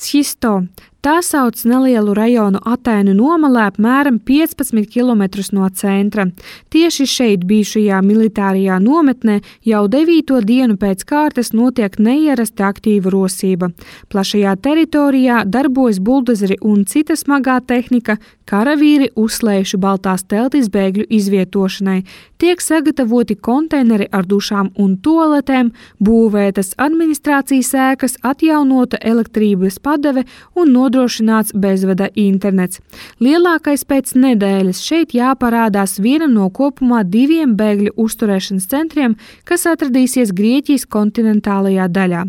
Schisto. Tā sauc nelielu rajonu Atēnu nomalē apmēram 15 km no centra. Tieši šeit bijušajā militārajā nometnē jau 9. dienu pēc kārtas notiek neierasti aktīva rosība. Plašajā teritorijā darbojas buldozeri un cita smagā tehnika, karavīri uzslējuši baltās teltis bēgļu izvietošanai. Tiek sagatavoti konteineri ar dušām un toaletēm, būvētas administrācijas ēkas, atjaunota elektrības padeve un nodrošināts bezvada internets. Lielākais pēc nedēļas šeit jāparādās vienam no kopumā 2 bēgļu uzturēšanas centriem, kas atradīsies Grieķijas kontinentālajā daļā.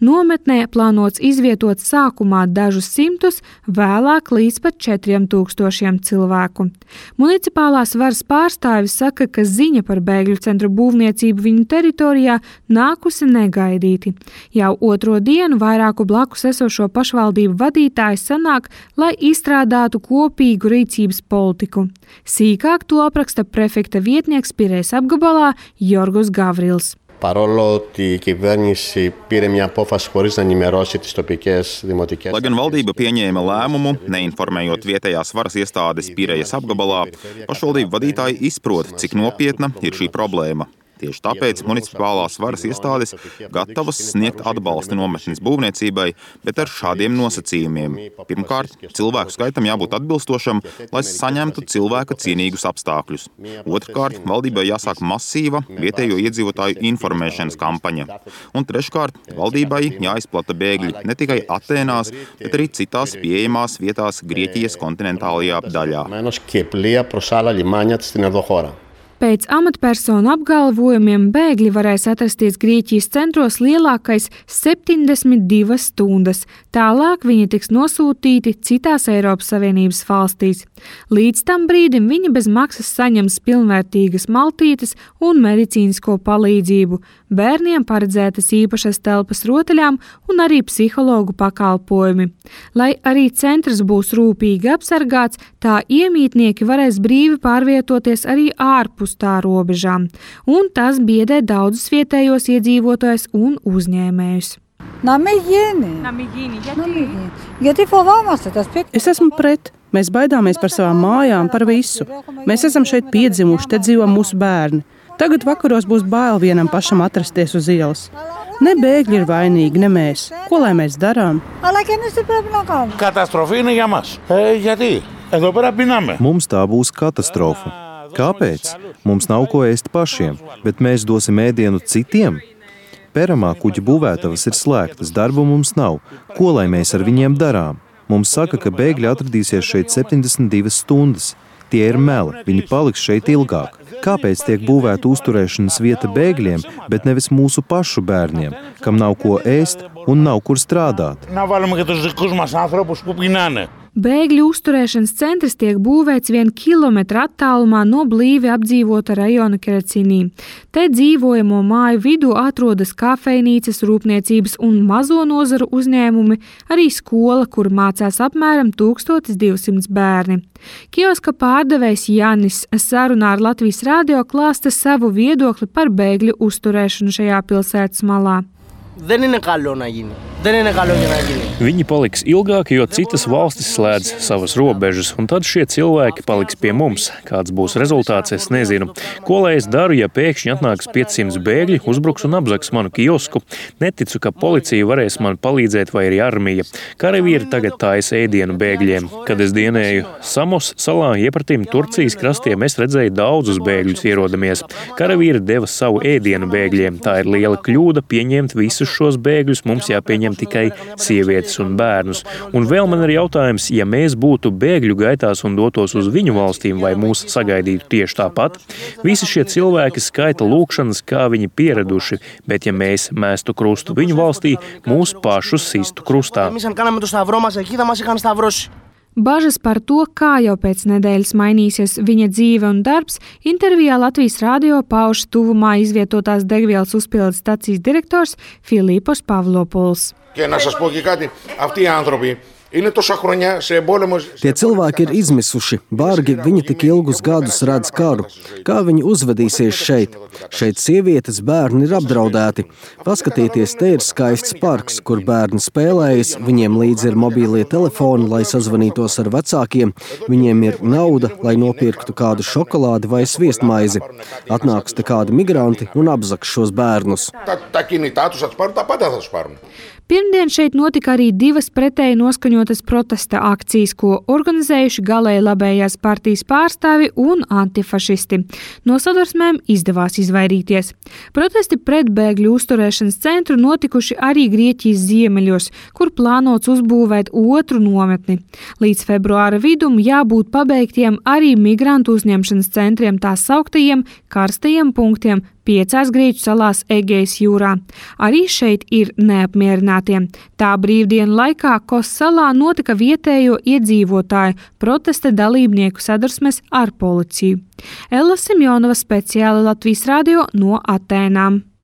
Nometnē plānots izvietot sākumā dažus simtus, vēlāk līdz pat 4000 cilvēku. Municipālās varas pārstāvis saka, ka ziņa par bēgļu centru būvniecību viņu teritorijā nākusi negaidīti. Jau 2. dienu vairāku blakus esošo pašvaldību vadītāji sanāk, lai izstrādātu kopīgu rīcības politiku. Sīkāk to apraksta prefekta vietnieks Pirejas apgabalā Jorgos Gavrils. Παρόλο ότι η κυβέρνηση πήρε μια απόφαση χωρίς να ενημερώσει τις τοπικές δημοτικές. Lai gan valdība pieņēma lēmumu, neinformējot vietējās varas iestādes Pirejas apgabalā, pašvaldību vadītāji izprot, cik nopietna ir šī problēma. Tieši tāpēc municipālās varas iestādes gatavas sniegt atbalstu nometnes būvniecībai, bet ar šādiem nosacījumiem. Pirmkārt, cilvēku skaitam jābūt atbilstošam, lai saņemtu cilvēka cienīgus apstākļus. Otrkārt, valdībai jāsāk masīva vietējo iedzīvotāju informēšanas kampaņa. Un treškārt, valdībai jāizplata bēgļi ne tikai Atēnās, bet arī citās pieejamās vietās Grieķijas kontinentālajā daļā. Pēc amatpersonu apgalvojumiem bēgļi varēs atrasties Grieķijas centros lielākais 72 stundas. Tālāk viņi tiks nosūtīti citās Eiropas Savienības valstīs. Līdz tam brīdim viņi bez maksas saņems pilnvērtīgas maltītes un medicīnisko palīdzību. Bērniem paredzētas īpašas telpas rotaļām un arī psihologu pakalpojumi. Lai arī centrs būs rūpīgi apsargāts, tā iemītnieki varēs brīvi pārvietoties arī ārpus tā robežām, un tas biedē daudzus vietējos iedzīvotājus un uzņēmējus. Es esmu pret. Mēs baidāmies par savām mājām, par visu. Mēs esam šeit piedzimuši, te dzīvo mūsu bērni. Tagad vakaros būs bail vienam pašam atrasties uz ielas. Ne bēgļi ir vainīgi, ne mēs. Ko lai mēs darām? Mums tā būs katastrofa. Kāpēc? Mums nav ko ēst pašiem, bet mēs dosim ēdienu citiem? Peramā kuģa būvētavas ir slēgtas, darbu mums nav. Ko lai mēs ar viņiem darām? Mums saka, ka bēgļi atradīsies šeit 72 stundas. Tie ir meli, viņi paliks šeit ilgāk. Kāpēc tiek būvēta uzturēšanas vieta bēgļiem, bet nevis mūsu pašu bērniem, kam nav ko ēst un nav kur strādāt? Bēgļu uzturēšanas centrs tiek būvēts 1 kilometra attālumā no blīvi apdzīvota rajona Kerecinī. Te dzīvojamo māju vidū atrodas kafejnīcas, rūpniecības un mazo nozaru uzņēmumi, arī skola, kur mācās apmēram 1200 bērni. Kioska pārdevējs Janis sarunā ar Latvijas radio klāsta savu viedokli par bēgļu uzturēšanu šajā pilsētas malā. Viņi paliks ilgāk, jo citas valstis slēdz savas robežas, un tad šie cilvēki paliks pie mums. Kāds būs rezultāts, es nezinu. Ko lai es daru, ja pēkšņi atnāks 500 bēgļi, uzbruks un apzaks manu kiosku? Neticu, ka policija varēs man palīdzēt vai arī armija. Karavīri tagad taisa ēdienu bēgļiem. Kad es dienēju Samos salā iepratim Turcijas krastiem, es redzēju daudzus bēgļus ierodamies. Karavīri deva savu ēdienu bēgļiem. Tā ir liela kļūda pieņemt visus šos bēgļus, mums jāpieņem tikai sievietes un bērnus. Un vēl man ir jautājums, ja mēs būtu bēgļu gaitās un dotos uz viņu valstīm, vai mūs sagaidītu tieši tāpat? Visi šie cilvēki skaita lūkšanas, kā viņi pieraduši, bet ja mēs mēstu krustu viņu valstī, mūs pašus sistu krustā. Bažas par to, kā jau pēc nedēļas mainīsies viņa dzīve un darbs, intervijā Latvijas radio pauž tuvumā izvietotās degvielas uzpildes stacijas direktors Filipos Pavlopuls. Tie cilvēki ir izmisuši, bargi viņi tik ilgus gadus redz karu. Kā viņi uzvedīsies šeit? Šeit sievietes, bērni ir apdraudēti. Paskatieties, te ir skaists parks, kur bērni spēlējas, viņiem līdzi ir mobīlie telefoni, lai sazvanītos ar vecākiem, viņiem ir nauda, lai nopirktu kādu šokolādi vai sviestmaizi. Atnāks te kādi migranti un apzaks šos bērnus. Pirmdien šeit notika arī 2 pretēji noskaņotas protesta akcijas, ko organizējuši galēji labējās partijas pārstāvi un antifašisti. No sadursmēm izdevās izvairīties. Protesti pret bēgļu uzturēšanas centru notikuši arī Grieķijas ziemeļos, kur plānots uzbūvēt otru nometni. Līdz februāra vidum jābūt pabeigtiem arī migrantu uzņemšanas centriem, tā sauktajiem karstajiem punktiem 5 Grieķu salās Egejas jūrā. Arī šeit ir neapmierinātie. Tā brīvdienu laikā Kos salā notika vietējo iedzīvotāju protesta dalībnieku sadursmes ar policiju. Ella Simjonova, speciāli Latvijas radio no Atēnām.